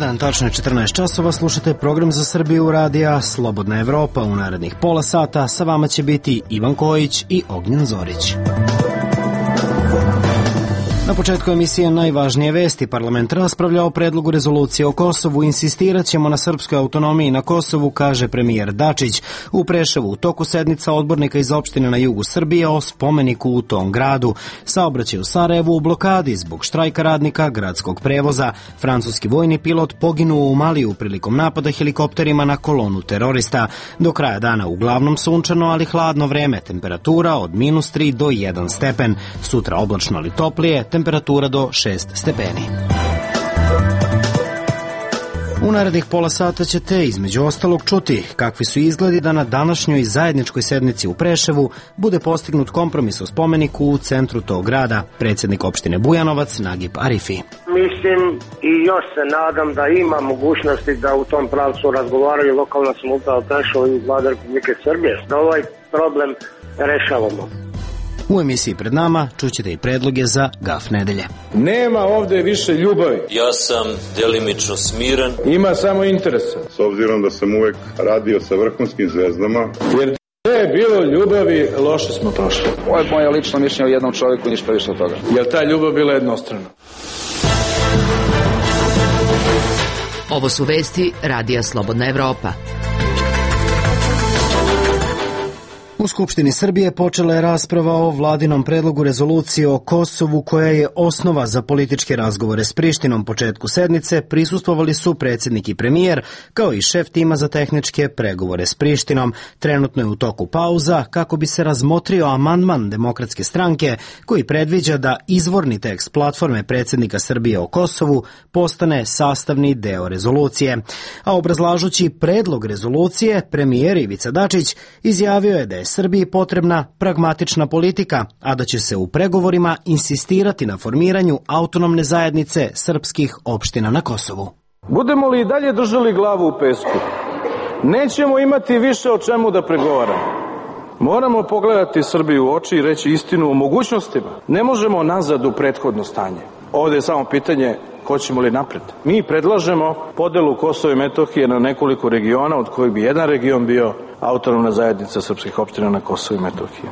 dan, tačno je 14 časova, slušate program za Srbiju radija Slobodna Evropa. U narednih pola sata sa vama će biti Ivan Kojić i Ognjen Zorić. Na početku emisije najvažnije vesti. Parlament raspravlja o predlogu rezolucije o Kosovu. Insistirat ćemo na srpskoj autonomiji na Kosovu, kaže premijer Dačić. U Preševu u toku sednica odbornika iz opštine na jugu Srbije o spomeniku u tom gradu. Saobraćaj u Sarajevu u blokadi zbog štrajka radnika gradskog prevoza. Francuski vojni pilot poginuo u Maliju prilikom napada helikopterima na kolonu terorista. Do kraja dana uglavnom sunčano, ali hladno vreme. Temperatura od -3 do 1 stepen. Sutra oblačno ali toplije, temperatura do 6 stepeni. U narednih pola sata ćete između ostalog čuti kakvi su izgledi da na današnjoj zajedničkoj sednici u Preševu bude postignut kompromis o spomeniku u centru tog grada. Predsjednik opštine Bujanovac Nagib Arifi. Mislim i još se nadam da ima mogućnosti da u tom pravcu razgovaraju lokalna samouprava Preševa i Vlada Republike Srbije, da ovaj problem rešavamo. U emisiji pred nama čućete i predloge za gaf nedelje. Nema ovde više ljubavi. Ja sam delimično smiren. Ima samo interesa. S obzirom da sam uvek radio sa vrhunskim zvezdama. Jer da je bilo ljubavi, loše smo prošli. Ovo je moje lično mišljenje o jednom čovjeku, ništa više od toga. Jer ta ljubav bila jednostrana. Ovo su vesti Radija Slobodna Evropa. U Skupštini Srbije počela je rasprava o vladinom predlogu rezolucije o Kosovu koja je osnova za političke razgovore s Prištinom. Početku sednice prisustvovali su predsjednik i premijer, kao i šef tima za tehničke pregovore s Prištinom. Trenutno je u toku pauza kako bi se razmotrio amandman Demokratske stranke koji predviđa da izvorni tekst platforme predsjednika Srbije o Kosovu postane sastavni deo rezolucije. A obrazlažući predlog rezolucije, premijer Ivica Dačić izjavio je da je Srbiji potrebna pragmatična politika, a da će se u pregovorima insistirati na formiranju autonomne zajednice srpskih opština na Kosovu. Budemo li i dalje držali glavu u pesku, nećemo imati više o čemu da pregovaramo. Moramo pogledati Srbiju u oči i reći istinu o mogućnostima. Ne možemo nazad u prethodno stanje. Ovdje je samo pitanje hoćemo li napred. Mi predlažemo podelu Kosova i Metohije na nekoliko regiona, od kojih bi jedan region bio autonomna zajednica srpskih opština na Kosovu i Metohiji.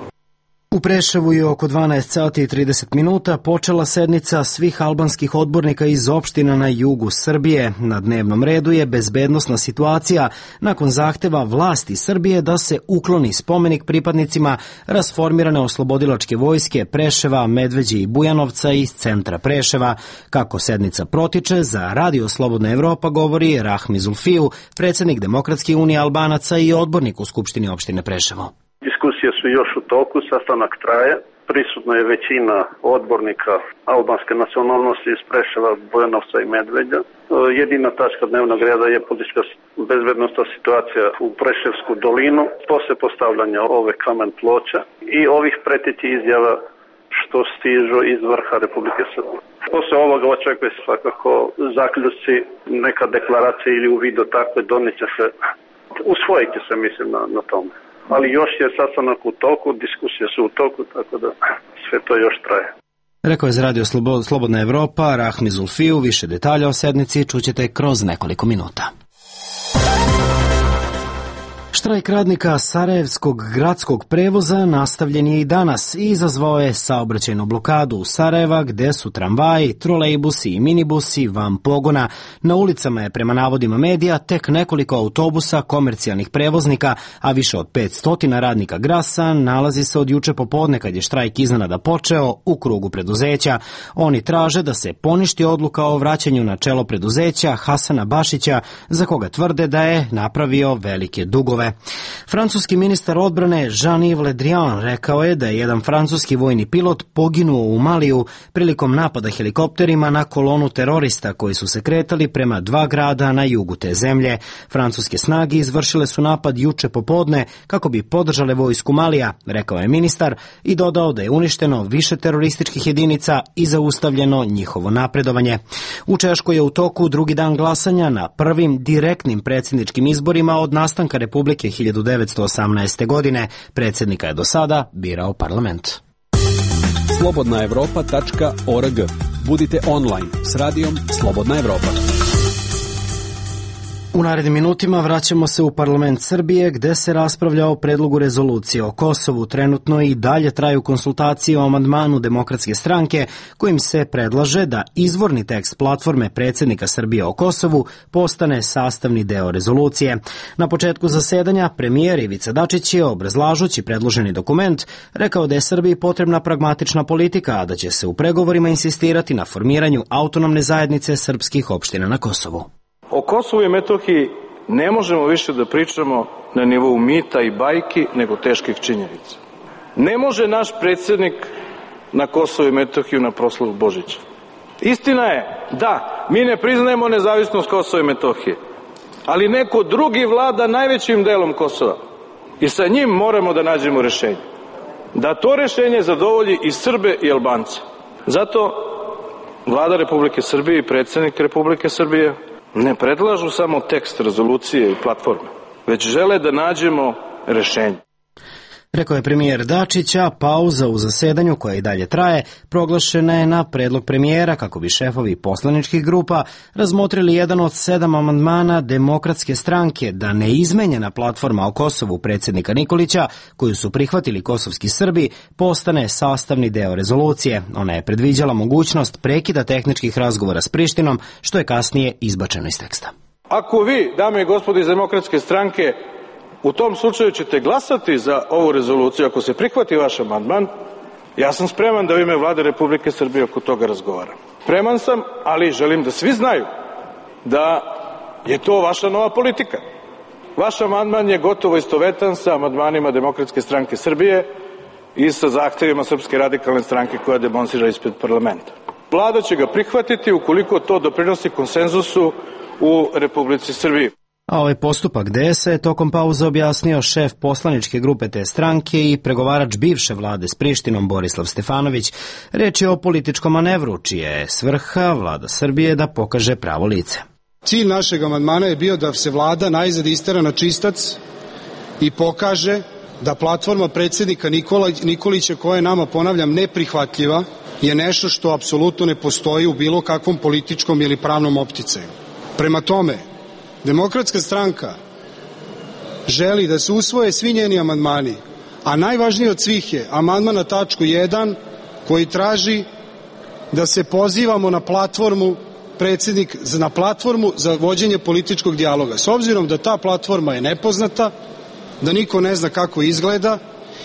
U Preševu je oko 12 sati i 30 minuta počela sednica svih albanskih odbornika iz opština na jugu Srbije. Na dnevnom redu je bezbednosna situacija nakon zahteva vlasti Srbije da se ukloni spomenik pripadnicima rasformirane oslobodilačke vojske Preševa, Medveđe i Bujanovca iz centra Preševa. Kako sednica protiče, za Radio Slobodna Evropa govori Rahmi Zulfiju, predsjednik Demokratske unije Albanaca i odbornik u Skupštini opštine Preševo. Diskusije su još u toku, sastanak traje. Prisutna je većina odbornika albanske nacionalnosti iz Preševa, Bujanovca i Medveđa. Jedina tačka dnevnog reda je politička bezbednosna situacija u Preševsku dolinu, posle postavljanja ove kamen ploča i ovih pretiti izjava što stižu iz vrha Republike Srbije. Posle ovoga očekuje se svakako zaključci, neka deklaracija ili u vidu takve doniće se, usvojiti se mislim na tome. Ali još je sastanak u toku, diskusije su u toku, tako da sve to još traje. Rekao je za Radio Slobodna Evropa Rahmi Zulfiju. Više detalja o sednici čućete kroz nekoliko minuta. Štrajk radnika Sarajevskog gradskog prevoza nastavljen je i danas i izazvao je saobraćajnu blokadu u Sarajeva gde su tramvaji, trolejbusi i minibusi van pogona. Na ulicama je prema navodima medija tek nekoliko autobusa komercijalnih prevoznika, a više od 500 radnika Grasa nalazi se od juče popodne kad je štrajk iznenada počeo u krugu preduzeća. Oni traže da se poništi odluka o vraćanju na čelo preduzeća Hasana Bašića, za koga tvrde da je napravio velike dugove. Francuski ministar odbrane Jean-Yves Le Drian rekao je da je jedan francuski vojni pilot poginuo u Maliju prilikom napada helikopterima na kolonu terorista koji su se kretali prema 2 grada na jugu te zemlje. Francuske snage izvršile su napad juče popodne kako bi podržale vojsku Malija, rekao je ministar, i dodao da je uništeno više terorističkih jedinica i zaustavljeno njihovo napredovanje. U Češkoj je u toku drugi dan glasanja na prvim direktnim predsjedničkim izborima od nastanka Republike 1918. godine. Predsjednika je do sada birao parlament. Slobodnaevropa.org. Budite online s radijom Slobodna Evropa. U narednim minutima vraćamo se u parlament Srbije gde se raspravlja o predlogu rezolucije o Kosovu. Trenutno i dalje traju konsultacije o amandmanu Demokratske stranke kojim se predlaže da izvorni tekst platforme predsjednika Srbije o Kosovu postane sastavni deo rezolucije. Na početku zasedanja premijer Ivica Dačić je, obrazlažući predloženi dokument, rekao da je Srbiji potrebna pragmatična politika, a da će se u pregovorima insistirati na formiranju autonomne zajednice srpskih opština na Kosovu. O Kosovu i Metohiji ne možemo više da pričamo na nivou mita i bajki, nego teških činjenica. Ne može naš predsjednik na Kosovu i Metohiju na proslavu Božića. Istina je, da, mi ne priznajemo nezavisnost Kosova i Metohije, ali neko drugi vlada najvećim delom Kosova i sa njim moramo da nađemo rešenje. Da to rešenje zadovolji i Srbe i Albance. Zato Vlada Republike Srbije i predsjednik Republike Srbije ne predlažu samo tekst rezolucije i platforme, već žele da nađemo rešenje. Rekao je premijer Dačić, a pauza u zasedanju, koja i dalje traje, proglašena je na predlog premijera kako bi šefovi poslaničkih grupa razmotrili jedan od 7 amandmana Demokratske stranke da neizmenjena platforma o Kosovu predsjednika Nikolića, koju su prihvatili kosovski Srbi, postane sastavni deo rezolucije. Ona je predviđala mogućnost prekida tehničkih razgovora s Prištinom, što je kasnije izbačeno iz teksta. Ako vi, dame i gospodo iz Demokratske stranke, u tom slučaju ćete glasati za ovu rezoluciju, ako se prihvati vaš amandman, ja sam spreman da u ime Vlade Republike Srbije oko toga razgovaram. Spreman sam, ali želim da svi znaju da je to vaša nova politika. Vaš amandman je gotovo istovetan sa amandmanima Demokratske stranke Srbije i sa zahtevima Srpske radikalne stranke koja demonstrira ispred parlamenta. Vlada će ga prihvatiti ukoliko to doprinosi konsenzusu u Republici Srbiji. A ovaj postupak DS je tokom pauze objasnio šef poslaničke grupe te stranke i pregovarač bivše vlade s Prištinom Borislav Stefanović. Reč je o političkom manevru, čija je svrha Vlada Srbije da pokaže pravo lice. Cilj našeg amandmana je bio da se vlada najzad istera na čistac i pokaže da platforma predsjednika Nikolića, koja je nama, ponavljam, neprihvatljiva, je nešto što apsolutno ne postoji u bilo kakvom političkom ili pravnom opticaju. Prema tome, Demokratska stranka želi da se usvoje svi njeni amandmani, a najvažniji od svih je amandman na tačku 1 koji traži da se pozivamo na platformu za vođenje političkog dijaloga. S obzirom da ta platforma je nepoznata, da niko ne zna kako izgleda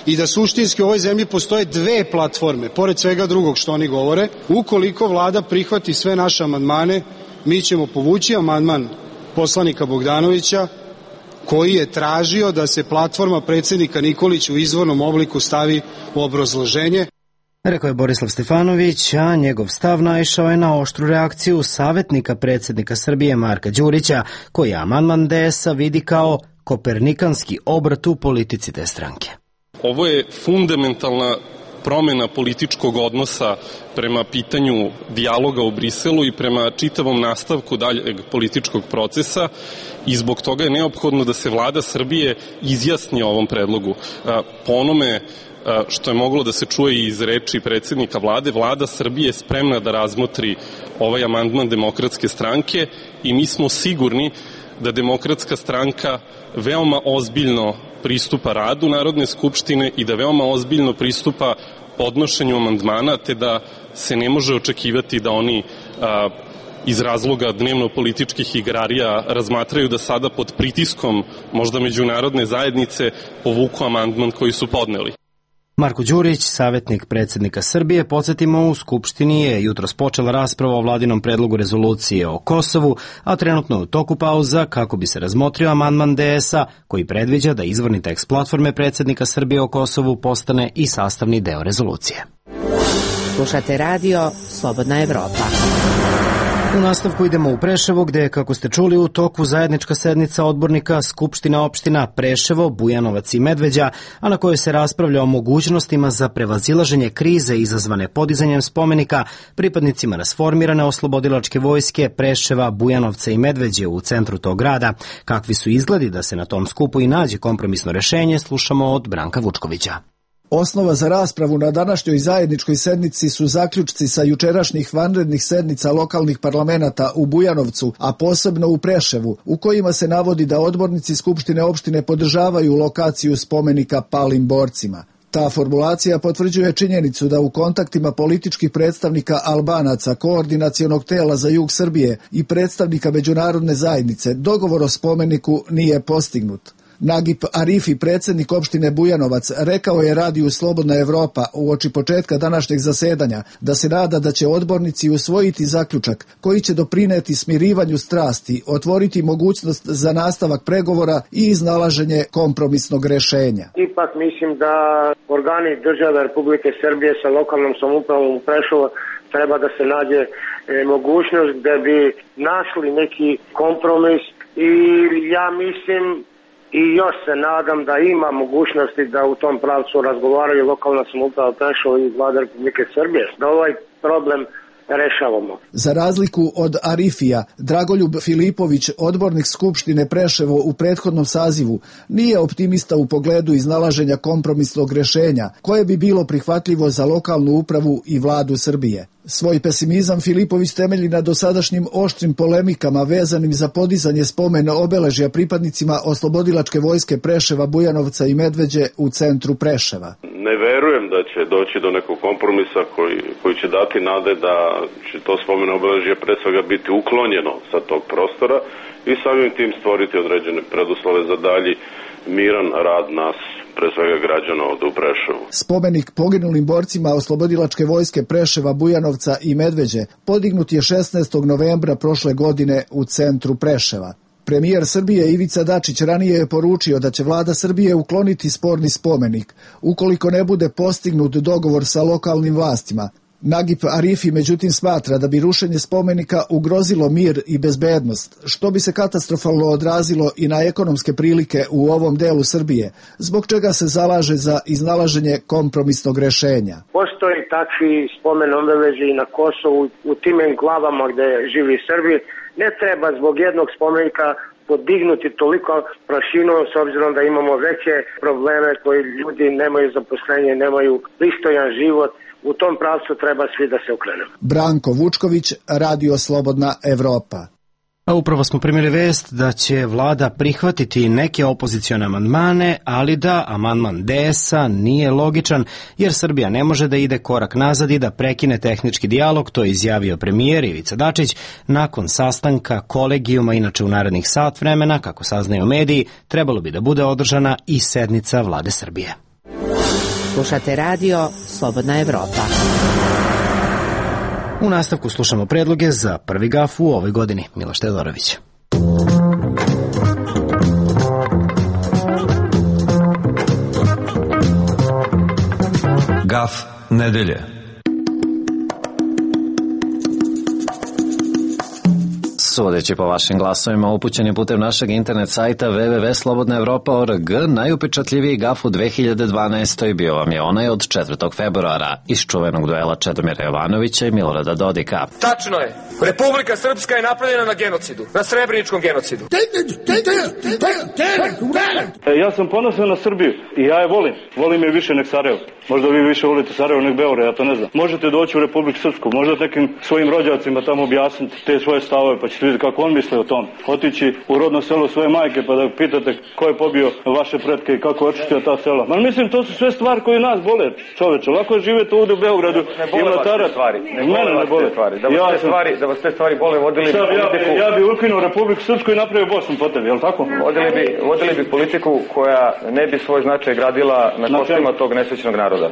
i da suštinski u ovoj zemlji postoje 2 platforme, pored svega drugog što oni govore, ukoliko vlada prihvati sve naše amandmane, mi ćemo povući amandman poslanika Bogdanovića koji je tražio da se platforma predsjednika Nikolića u izvornom obliku stavi u obrazloženje. Rekao je Borislav Stefanović, a njegov stav naišao je na oštru reakciju savjetnika predsjednika Srbije Marka Đurića, koji amandman DS-a vidi kao kopernikanski obrat u politici te stranke. Ovo je fundamentalna promjena političkog odnosa prema pitanju dijaloga u Briselu i prema čitavom nastavku daljeg političkog procesa i zbog toga je neophodno da se Vlada Srbije izjasni o ovom predlogu. Po onome što je moglo da se čuje i iz reči predsjednika vlade, Vlada Srbije je spremna da razmotri ovaj amandman Demokratske stranke i mi smo sigurni da Demokratska stranka veoma ozbiljno pristupa radu Narodne skupštine i da veoma ozbiljno pristupa podnošenju amandmana, te da se ne može očekivati da oni iz razloga dnevno-političkih igrarija razmatraju da sada pod pritiskom možda međunarodne zajednice povuku amandman koji su podneli. Marko Đurić, savjetnik predsjednika Srbije, podsjetimo, u Skupštini je jutros počela rasprava o vladinom predlogu rezolucije o Kosovu, a trenutno je u toku pauza kako bi se razmotrio amandman DS-a koji predviđa da izvorni tekst platforme predsjednika Srbije o Kosovu postane i sastavni deo rezolucije. Slušate radio Slobodna Evropa. U nastavku idemo u Preševo, gde je, kako ste čuli, u toku zajednička sednica odbornika Skupština opština Preševo, Bujanovac i Medveđa, a na kojoj se raspravlja o mogućnostima za prevazilaženje krize izazvane podizanjem spomenika pripadnicima rasformirane oslobodilačke vojske Preševa, Bujanovca i Medveđe u centru tog grada. Kakvi su izgledi da se na tom skupu i nađe kompromisno rešenje, slušamo od Branka Vučkovića. Osnova za raspravu na današnjoj zajedničkoj sednici su zaključci sa jučerašnjih vanrednih sednica lokalnih parlamenata u Bujanovcu, a posebno u Preševu, u kojima se navodi da odbornici Skupštine opštine podržavaju lokaciju spomenika palim borcima. Ta formulacija potvrđuje činjenicu da u kontaktima političkih predstavnika Albanaca, koordinacionog tela za jug Srbije i predstavnika međunarodne zajednice dogovor o spomeniku nije postignut. Nagip Arifi, predsjednik opštine Bujanovac, rekao je radiju Slobodna Evropa uoči početka današnjeg zasedanja da se nada da će odbornici usvojiti zaključak koji će doprineti smirivanju strasti, otvoriti mogućnost za nastavak pregovora i iznalaženje kompromisnog rešenja. Ipak mislim da organi države Republike Srbije sa lokalnom samoupravom u Preševu treba da se nađe mogućnost da bi našli neki kompromis i ja mislim i još se nadam da ima mogućnosti da u tom pravcu razgovaraju lokalna samouprava Preševa i Vlada Republike Srbije, da ovaj problem rešavamo. Za razliku od Arifija, Dragoljub Filipović, odbornik Skupštine Preševo u prethodnom sazivu, nije optimista u pogledu iznalaženja kompromisnog rešenja, koje bi bilo prihvatljivo za lokalnu upravu i vladu Srbije. Svoj pesimizam Filipović temelji na dosadašnjim oštrim polemikama vezanim za podizanje spomena obeležja pripadnicima Oslobodilačke vojske Preševa, Bujanovca i Medveđe u centru Preševa. Ne verujem da će doći do nekog kompromisa koji će dati nade da će to spomen obeležje pre svega biti uklonjeno sa tog prostora i samim tim stvoriti određene preduslove za dalji miran rad nas, pre svega građana ovde u Preševu. Spomenik poginulim borcima Oslobodilačke vojske Preševa, Bujanovca i Medveđe podignut je 16. novembra prošle godine u centru Preševa. Premijer Srbije Ivica Dačić ranije je poručio da će vlada Srbije ukloniti sporni spomenik ukoliko ne bude postignut dogovor sa lokalnim vlastima. Nagip Arifi međutim smatra da bi rušenje spomenika ugrozilo mir i bezbednost, što bi se katastrofalno odrazilo i na ekonomske prilike u ovom delu Srbije, zbog čega se zalaže za iznalaženje kompromisnog rešenja. Postoji takvi spomen obeležja i na Kosovu, u tim enklavama gde živi Srbi. Ne treba zbog jednog spomenika podignuti toliko prašinu, s obzirom da imamo veće probleme koji ljudi nemaju zaposlenje, nemaju pristojan život. U tom pravcu treba svi da se okrenemo. Branko Vučković, Radio Slobodna Evropa. A upravo smo primili vest da će vlada prihvatiti neke opozicione amandmane, ali da amandman DS-a nije logičan, jer Srbija ne može da ide korak nazad i da prekine tehnički dijalog, to je izjavio premijer Ivica Dačić nakon sastanka kolegijuma. Inače u narednih sat vremena, kako saznaju mediji, trebalo bi da bude održana i sednica vlade Srbije. Slušate radio Slobodna Evropa. U nastavku slušamo predloge za prvi gaf u ovoj godini. Miloš Teodorović. Gaf nedelje. Sudeći po vašim glasovima upućeni putem našeg internet sajta www.slobodnaevropa.org, najupečatljiviji gaf u 2012. bio vam je onaj od 4. februara iz čuvenog duela Čedomira Jovanovića i Milorada Dodika. Tačno je. Republika Srpska je napravljena na genocidu, na Srebreničkom genocidu. Ja sam ponosan na Srbiju i ja je volim. Volim je više nek Sarajevo. Možda vi više volite Sarajevo nek Beograd, ja to ne znam. Možete doći u Republiku Srpsku, možda nekim svojim rođacima tamo objasniti te svoje stavove, pa ćete vidjeti kako on misle o tom. Otići u rodno selo svoje majke pa da pitate ko je pobio vaše pretke i kako je očistio ta sela. Ma mislim, to su sve stvari koje nas bole, čoveče. Lako je živjeti ovdje u Beogradu. Ne bole vas te stvari. Mene ne bole stvari. Da vas te stvari bole, vodili bi politiku. Ja bi ukinuo Republiku Srpsku i napravio Bosnu po tebi, je li tako? Vodili bi politiku koja ne bi svoj značaj gradila na kostima tog nesrećnog naroda.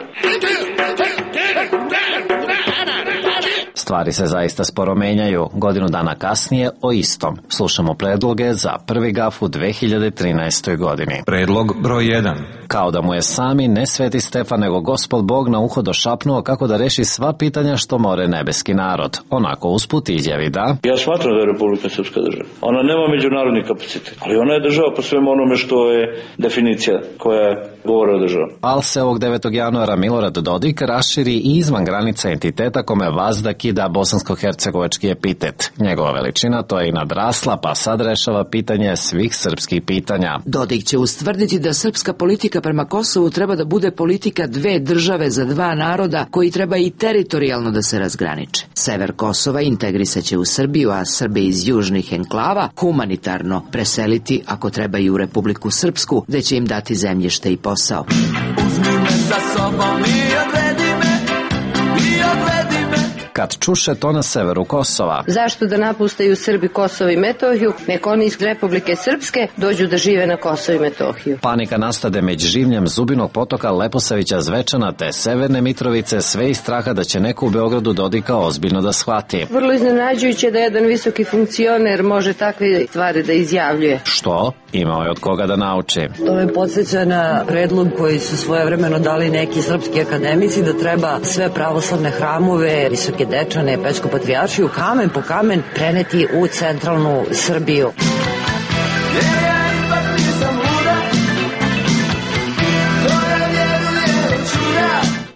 Stvari se zaista sporo menjaju. Godinu dana kasnije o istom. Slušamo predloge za prvi gaf u 2013. godini. Predlog broj 1. Kao da mu je sami ne Sveti Stefan nego Gospod Bog na uho došapnuo kako da reši sva pitanja što more nebeski narod. Onako usput izjavi da... Ja smatram da je Republika Srpska država. Ona nema međunarodni kapacitet, ali ona je država po svemu onome što je definicija koja je govore o državi. Al se ovog 9. januara Milorad Dodik raširi i izvan granica entiteta kome vazda kida bosansko-hercegovački epitet. Njegova veličina to je i nadrasla, pa sad rešava pitanje svih srpskih pitanja. Dodik će ustvrditi da srpska politika prema Kosovu treba da bude politika dve države za dva naroda koji treba i teritorijalno da se razgraniče. Sever Kosova integrisaće u Srbiju, a Srbe iz južnih enklava humanitarno preseliti ako treba i u Republiku Srpsku, gde će im dati zemljište i posao. Uzmi me sa sobom i odvedi me, i odvedi me. Kad čuše to na severu Kosova. Zašto da napustaju Srbi Kosovo i Metohiju, nek oni iz Republike Srpske dođu da žive na Kosovo i Metohiju. Panika nastade među življem Zubinog potoka, Leposavića, Zvečana te Severne Mitrovice, sve iz straha da će neko u Beogradu Dodika ozbiljno da shvati. Vrlo iznenađujuće da jedan visoki funkcioner može takve stvari da izjavljuje. Što? Imao je od koga da nauči. To me podsjeća na predlog koji su svojevremeno dali neki srpski akademici da treba sve pravoslavne hramove, Visoke Dečane, Pećku patrijaršiju, kamen po kamen preneti u centralnu Srbiju.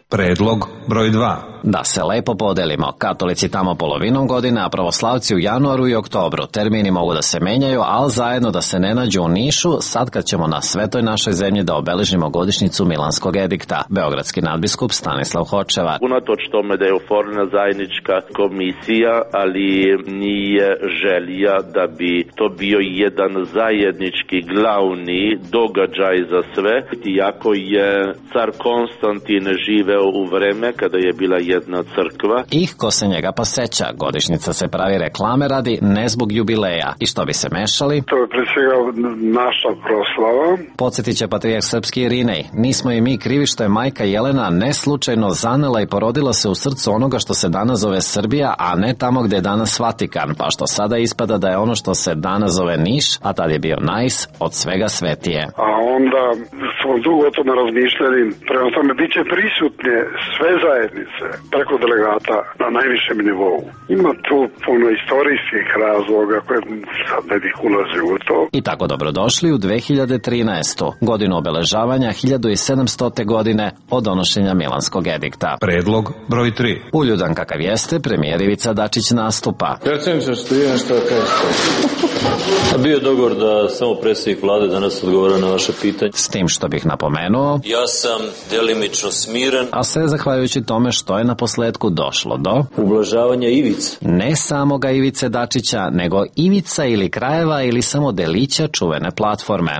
Predlog broj 2. Da se lepo podelimo, katolici tamo polovinom godine, a pravoslavci u januaru i oktobru. Termini mogu da se menjaju, ali zajedno da se ne nađu u Nišu, sad kad ćemo na svetoj našoj zemlji da obeležimo godišnjicu Milanskog edikta. Beogradski nadbiskup Stanislav Hočevar. Unatoč tome da je oformljena zajednička komisija, ali nije želja da bi to bio jedan zajednički glavni događaj za sve, iako je car Konstantin živeo u vreme kada je bila jedna crkva. Ih ko se njega pa seća, godišnjica se pravi reklame radi, ne zbog jubileja. I što bi se mešali? To je pre svega naša proslava. Podsjetit će patrijarh srpski Irinej. Nismo i mi krivi što je majka Jelena neslučajno zanela i porodila se u srcu onoga što se danas zove Srbija, a ne tamo gde je danas Vatikan, pa što sada ispada da je ono što se danas zove Niš, a tad je bio Najs, od svega svetije. A onda smo dugo o tome razmišljali, prema tome bit će prisutne sve zajednice preko delegata na najvišem nivou. Ima tu puno istorijskih razloga koje sad ne bih ulazio u to. I tako dobrodošli u 2013. godinu obeležavanja 1700. godine od donošenja Milanskog edikta. Predlog broj 3. Uljudan kakav jeste, premijer Ivica Dačić nastupa. Predsedniče, što je nešto da kažete? Bio je dogovor da samo predsjednik vlade danas odgovara na vaše pitanje. S tim što bih napomenuo, ja sam delimično smiren, a sve zahvaljujući tome što je na posledku došlo do ublažavanja ivice. Ne samoga Ivice Dačića, nego ivica ili krajeva ili samo delića čuvene platforme.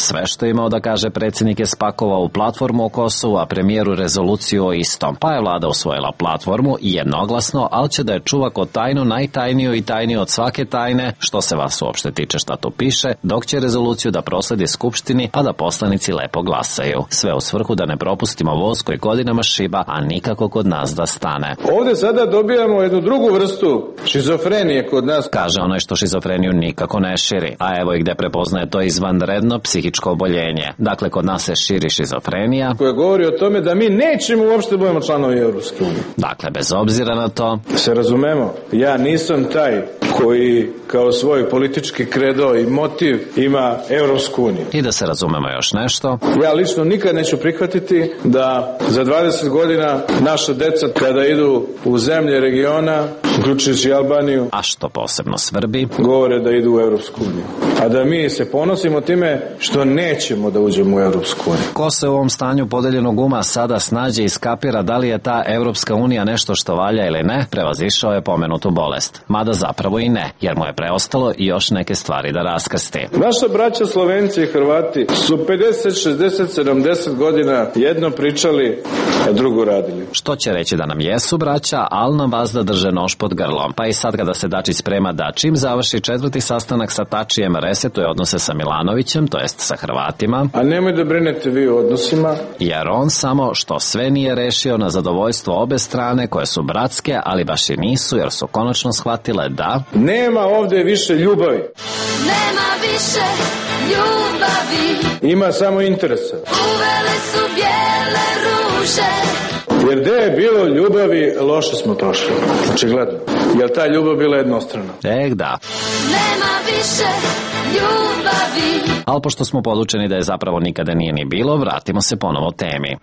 Sve što je imao da kaže predsjednik je spakovao u platformu o Kosovu, a premijeru rezoluciju o istom. Pa je vlada usvojila platformu i jednoglasno, ali će da je čuva ko tajnu najtajniju i tajniju od svake tajne, što se vas uopšte tiče šta tu piše, dok će rezoluciju da prosledi Skupštini, a da poslanici lepo glasaju. Sve u svrhu da ne propustimo voz koji godinama šiba, a nikako kod nas da stane. Ovde sada dobijamo jednu drugu vrstu šizofrenije kod nas. Kaže onaj što šizofreniju nikako ne širi, a evo i gde prepoznaje to izvanredno psihičko oboljenje. Dakle, kod nas se širi šizofrenija koja govori o tome da mi nećemo uopšte budemo članovi Evropske unije. Dakle, bez obzira na to, se razumemo, ja nisam taj koji kao svoj politički kredo i motiv ima Evropsku uniju. I da se razumemo još nešto, ja lično nikad neću prihvatiti da za 20 godina naša deca kada idu u zemlje regiona, uključujući Albaniju, a što posebno svrbi, govore da idu u Evropsku uniju. A da mi se ponosimo time što nećemo da uđemo u Evropsku uniju. Ko se u ovom stanju podeljenog uma sada snađe i skapira da li je ta Evropska unija nešto što valja ili ne, prevazišao je pomenutu bolest. Mada zapravo i ne, jer mu je preostalo i još neke stvari da raskrsti. Naša braća Slovenci i Hrvati su 50, 60, 70 godina jedno pričali, a drugo radili. Što će reći da nam jesu braća, ali nam vazda drže nož pod grlom. Pa i sad kada se Dačić sprema da čim završi 4. sastanak sa Tačijem resetuje odnose sa Milanovićem, to jest sa Hrvatima. A nemoj da brinete vi o odnosima. Jer on samo što sve nije rešio na zadovoljstvo obe strane koje su bratske, ali baš i nisu jer su konačno shvatile da nema ovde više ljubavi. Nema više ljubavi. Ima samo interesa. Uvele su bijele ruže. Jer gde je bilo ljubavi, loše smo prošli. Očigledno. Jer ta ljubav bila jednostrana. Da. Nema više ljubavi. Ali pošto smo podučeni da je zapravo nikada nije ni bilo, vratimo se ponovo temi.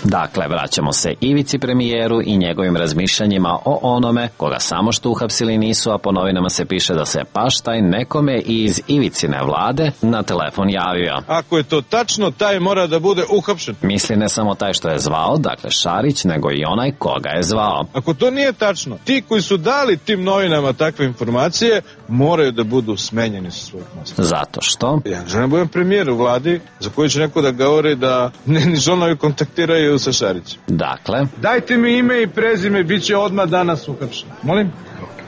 Dakle, vraćamo se Ivici premijeru i njegovim razmišljanjima o onome koga samo što uhapsili nisu, a po novinama se piše da se baš taj nekome iz Ivicine vlade na telefon javio. Ako je to tačno, taj mora da bude uhapšen. Misli ne samo taj što je zvao, dakle Šarić, nego i onaj koga je zvao. Ako to nije tačno, ti koji su dali tim novinama takve informacije moraju da budu smenjeni sa svojih mesta. Zato što? Ja želim budem premijer u vladi za koju će neko da govori da ni članovi kontaktiraju sa Šarićem. Dakle? Dajte mi ime i prezime, bit će odmah danas uhapšen. Molim?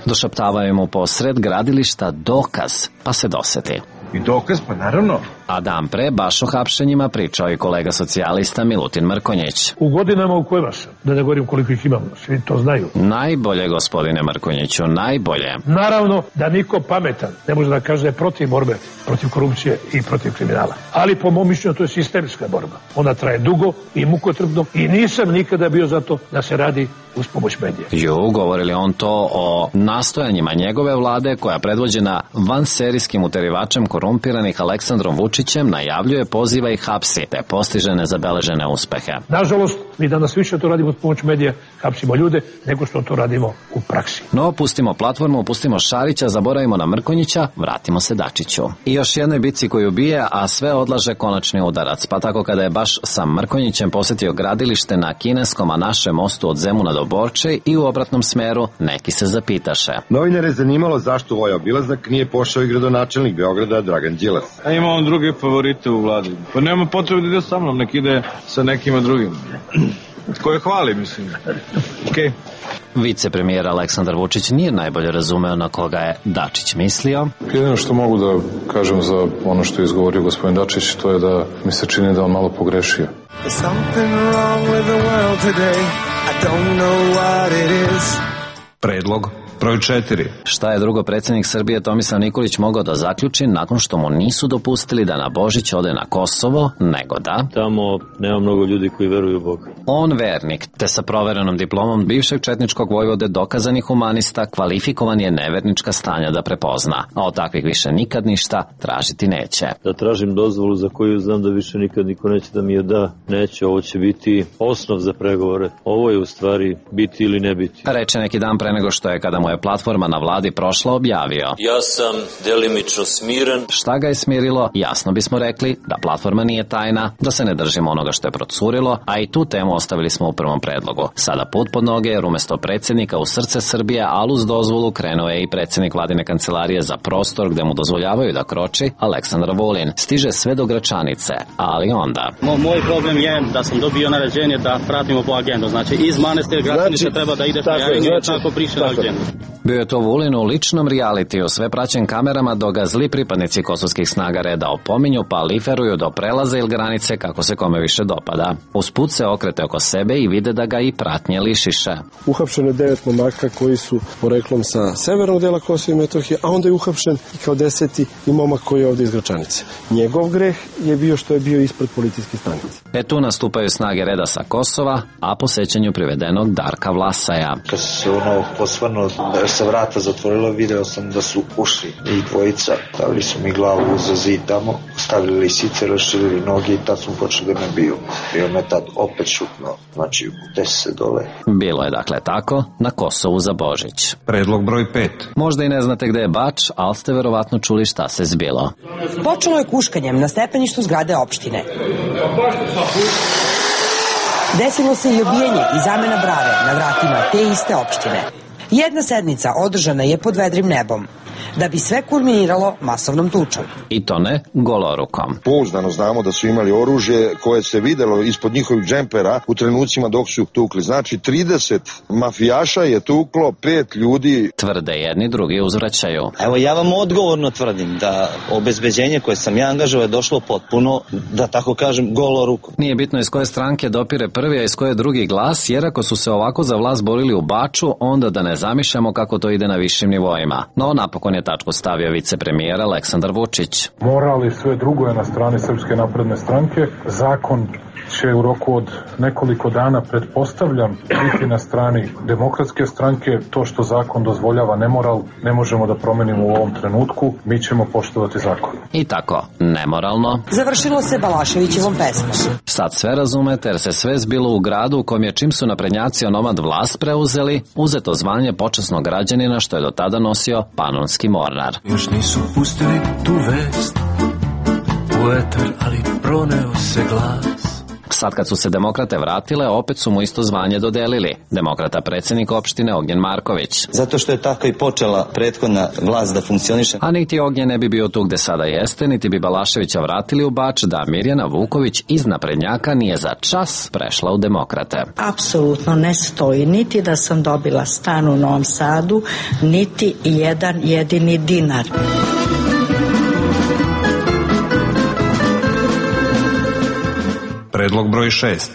Došaptavaju mu posred gradilišta dokaz, pa se doseti. I dokaz, pa naravno. A dan pre baš o hapšenjima pričao i kolega socijalista Milutin Mrkonjić. U godinama u kojima sam, da ne govorim koliko ih imam, svi to znaju. Najbolje, gospodine Mrkonjiću, najbolje. Naravno da niko pametan ne može da kaže da je protiv borbe, protiv korupcije i protiv kriminala. Ali po mom mišljenju to je sistemska borba. Ona traje dugo i mukotrpno i nisam nikada bio za to da se radi uz pomoć medija. Govorili on to o nastojanjima njegove vlade koja predvođena vanserijskim uterivačem korumpiranih Aleksandrom Vučićem najavljuje, poziva i hapsi, te postiže nezabeležene uspehe. Nažalost, mi danas više to radimo uz pomoć medija, hapsimo ljude, nego što to radimo u praksi. No, pustimo platformu, pustimo Šarića, zaboravimo na Mrkonjića, vratimo se Dačiću. I još jednoj bici koju bije, a sve odlaže konačni udarac, pa tako kada je baš sa Mrkonjićem posetio gradilište na kineskom, a našem mostu od Zemuna do Borče i u obratnom smeru, neki se zapitaše. Novinare je zanimalo zašto ovaj obilazak nije pošao i gradonačelnik Beograda Dragan Đilas. A ima on druge favorite u vladi. Pa nema potrebe da ide sa mnom, nek ide sa nekima drugim. Koje hvali, mislim. Okej. Vicepremijer Aleksandar Vučić nije najbolje razumeo na koga je Dačić mislio. Jedino što mogu da kažem za ono što je izgovorio gospodin Dačić, to je da mi se čini da on malo pogrešio. Predlog broj 4. Šta je drugo predsjednik Srbije Tomislav Nikolić mogao da zaključi nakon što mu nisu dopustili da na Božić ode na Kosovo, nego da... Tamo nema mnogo ljudi koji veruju u Boga. On vernik, te sa proverenom diplomom bivšeg četničkog vojvode dokazani humanista, kvalifikovan je nevernička stanja da prepozna, a od takvih više nikad ništa tražiti neće. Da tražim dozvolu za koju znam da više nikad niko neće da mi je da, neće, ovo će biti osnov za pregovore. Ovo je u stvari biti ili ne biti. Reče neki dan pre nego što je, kada mu je platforma na vladi prošla, objavio: Ja sam delimično smiren. Šta ga je smirilo? Jasno bismo rekli da platforma nije tajna, da se ne držimo onoga što je procurilo, a i tu temu ostavili smo u prvom predlogu. Sada put pod noge, jer umesto predsjednika u srce Srbije, al uz dozvolu krenuo je i predsjednik vladine kancelarije za prostor gde mu dozvoljavaju da kroči, Aleksandar Vulin. Stiže sve do Gračanice, ali onda... Moj problem je da sam dobio naređenje da pratimo po agendu. Znači, iz manastira Gračanice treba da ideš na Jarinju i tako priše na agendu. Bio je to Vulin u ličnom realitiju, sve praćen kamerama, dok ga zli pripadnici kosovskih snaga reda opominju, pa liferuju do prelaza ili granice kako se kome više dopada. Usput se okrete oko sebe i vide da ga i pratnje lišiše. Uhapšeno je 9 momaka koji su poreklom sa severnog dela Kosova i Metohije, a onda je uhapšen i kao 10. i momak koji je ovde iz Gračanice. Njegov greh je bio što je bio ispred policijske stanice. Tu nastupaju snage reda sa Kosova, a po sećanju privedenog Darka Vlasaja. Kad se posvrnuo sa vrata zatvorilo, video sam da su ušli i dvojica, stavili su mi glavu za zid tamo, stavili lisice, raširili noge i tad smo počeli da me biju. Bio me tad opet šutno, znači desi se dole. Bilo je dakle tako na Kosovu za Božić. Predlog broj 5. Možda i ne znate gde je Bač, ali ste verovatno čuli šta se zbilo. Počelo je kuškanjem na stepeništu zgrade opštine. Desilo se i obijenje i zamena brave na vratima te iste opštine. Jedna sednica održana je pod vedrim nebom, da bi sve kulminiralo masovnom tučom. I to ne golorukom. Pouzdano znamo da su imali oružje koje se videlo ispod njihovih džempera u trenucima dok su tukli. Znači 30 mafijaša je tuklo 5 ljudi. Tvrde jedni, drugi uzvraćaju. Evo ja vam odgovorno tvrdim da obezbeđenje koje sam ja angažovao je došlo potpuno, da tako kažem, golorukom. Nije bitno iz koje stranke dopire prvi, a iz koje drugi glas, jer ako su se ovako za vlast borili u Baču, onda da ne zamišljamo kako to ide na višim nivoima. No, napokon je tačku stavio vicepremijer Aleksandar Vučić. Moral i sve drugo je na strani Srpske napredne stranke. Zakon će u roku od nekoliko dana, pretpostavljam, biti na strani Demokratske stranke. To što zakon dozvoljava nemoral ne možemo da promenimo u ovom trenutku. Mi ćemo poštovati zakon. I tako, nemoralno završilo se Balaševićevom pesmom. Sad sve razumete jer se sve zbilo u gradu u kom je, čim su naprednjaci onomad vlast preuzeli, uzeto zvanje počasnog građanina što je do tada nosio panonski mornar. Još nisu pustili tu vest u etar, ali proneo se glas. Sad kad su se demokrate vratile, opet su mu isto zvanje dodelili. Demokrata predsjednik opštine Ognjen Marković. Zato što je tako i počela prethodna vlast da funkcioniše. A niti Ognjen ne bi bio tu gde sada jeste, niti bi Balaševića vratili u Bač da Mirjana Vuković iz naprednjaka nije za čas prešla u demokrate. Apsolutno ne stoji niti da sam dobila stan u Novom Sadu, niti jedan jedini dinar. Predlog broj 6.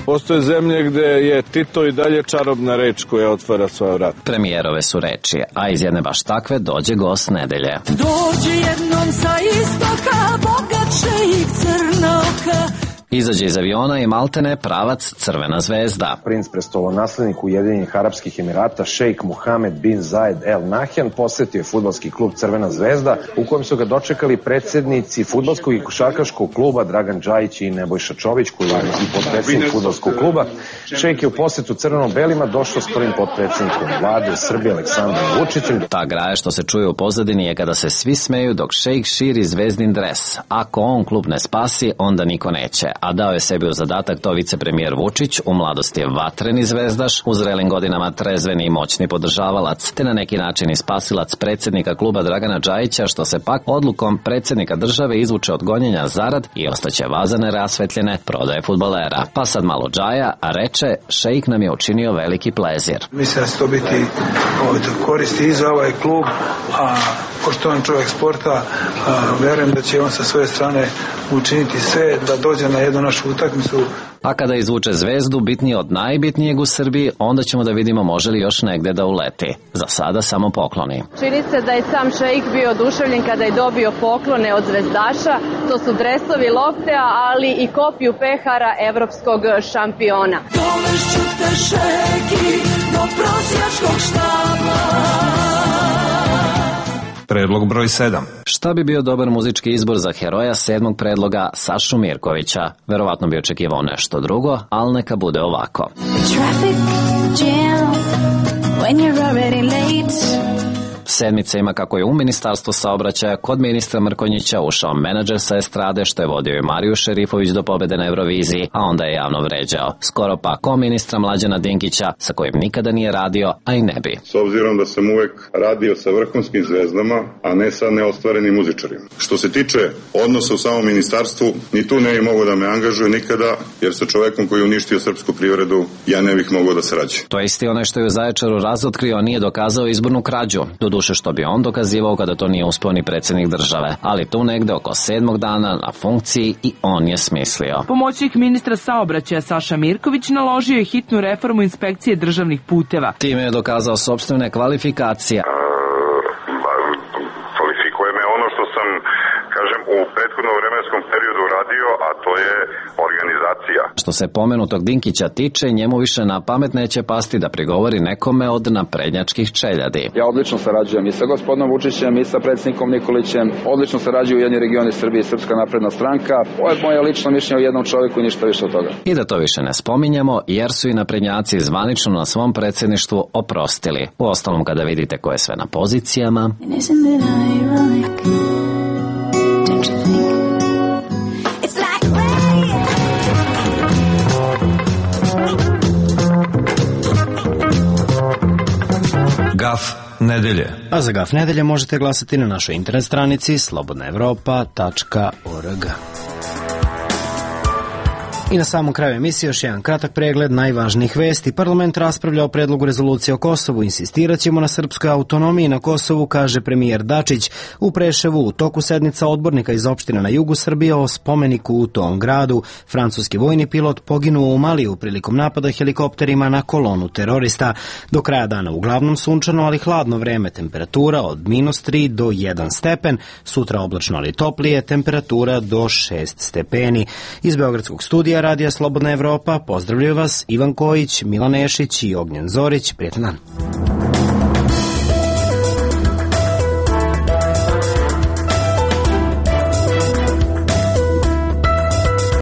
Postoje zemlje gde je Tito i dalje čarobna reč koja otvara svoja vrata. Premijerove su reči, a iz jedne baš takve dođe gost nedelje. Dođi jednom sa istoka, bogat šejik crnoka. Izađe iz aviona i maltene pravac Crvena zvezda. Princ prestolonaslednik Ujedinjenih Arapskih Emirata šejk Mohamed bin Zayed El Nahyan posetio je fudbalski klub Crvena zvezda u kojem su ga dočekali predsjednici fudbalskog i košarkaškog kluba Dragan Džajić i Nebojša Čović koji je i potpredsjednik fudbalskog kluba. Šejk je u posetu crveno-belima došao s prvim potpredsjednikom vlade Srbije Aleksandrom Vučićem. Ta graja što se čuje u pozadini je kada se svi smeju dok šejk širi zvezdin dres. Ako on klub ne spasi, onda niko neće. A dao je sebi u zadatak to vicepremijer Vučić, u mladosti je vatreni zvezdaš, u zrelim godinama trezveni i moćni podržavalac, te na neki način i spasilac predsjednika kluba Dragana Džajića, što se pak odlukom predsjednika države izvuče od gonjenja zarad i ostaće vazane rasvetljene prodaje fudbalera. Pa sad malo Džaja, a reče, šejk nam je učinio veliki plezir. Mislim da će to biti koristi i za ovaj klub, a pošto on čovjek sporta, verujem da će on sa svoje strane učiniti sve da dođe na jednu našu utakmicu. A kada izvuče zvezdu, bitnije od najbitnijeg u Srbiji, onda ćemo da vidimo može li još negde da uleti. Za sada samo pokloni. Čini se da je sam šejk bio oduševljen kada je dobio poklone od zvezdaša. To su dresovi Loftea, ali i kopiju pehara evropskog šampiona. Dovešću te šejki do prosjačkog štaba. Predlog broj 7. Šta bi bio dobar muzički izbor za heroja 7. predloga Sašu Mirkovića? Verovatno bi očekivao nešto drugo, ali neka bude ovako. Traffic jam when you're already late. Sedmica ima kako je u Ministarstvu saobraćaja kod ministra Mrkonjića ušao menadžer sa estrade što je vodio i Mariju Šerifović do pobede na Euroviziji, a onda je javno vređao. Skoro pa ko ministra Mlađana Dinkića sa kojim nikada nije radio, a i ne bi. S obzirom da sam uvek radio sa vrhunskim zvezdama, a ne sa neostvarenim muzičarima. Što se tiče odnosa u samom ministarstvu, ni tu ne bi mogao da me angažuje nikada, jer sa čovekom koji je uništio srpsku privredu, ja ne bih mogao da sarađujem. To je isti onaj što je u Zaječaru razotkrio, a nije dokazao izbornu krađu. Doduše što bi on dokazivao kada to nije uspeo ni predsjednik države, ali tu negde oko 7. dana na funkciji i on je smislio. Pomoćnik ministra saobraćaja Saša Mirković naložio je hitnu reformu inspekcije državnih puteva. Time je dokazao sopstvene kvalifikacije. Kvalifikuje me ono što sam, kažem, u prethodnom vremenskom periodu radio, a to je organizacija. Što se pomenutog Dinkića tiče, njemu više na pamet neće pasti da prigovori nekome od naprednjačkih čeljadi. Ja odlično sarađujem i sa gospodinom Vučićem i sa predsjednikom Nikolićem. Odlično sarađuju jedni regioni Srbije i Srpska napredna stranka. Ovo je moje lično mišljenje o jednom čovjeku i ništa više od toga. I da to više ne spominjemo, jer su i naprednjaci zvanično na svom predsjedništvu oprostili. U ostalom, kada vidite ko je sve na pozicijama... Gaf nedelje. A za Gaf nedelje možete glasati na našoj internet stranici slobodnaevropa.org. I na samom kraju emisije još jedan kratak pregled najvažnijih vesti. Parlament raspravlja o predlogu rezolucije o Kosovu. Insistirat ćemo na srpskoj autonomiji na Kosovu, kaže premijer Dačić. U Preševu u toku sednica odbornika iz opštine na jugu Srbije o spomeniku u tom gradu. Francuski vojni pilot poginuo u Maliju prilikom napada helikopterima na kolonu terorista. Do kraja dana uglavnom sunčano, ali hladno vreme, temperatura od -3 do 1 stepen. Sutra oblačno, ali toplije, temperatura do 6 stepeni. Iz Beogradskog studija Radija Slobodna Evropa pozdravljaju vas Ivan Kojić, Milan Ešić i Ognjen Zorić. Prijetan dan.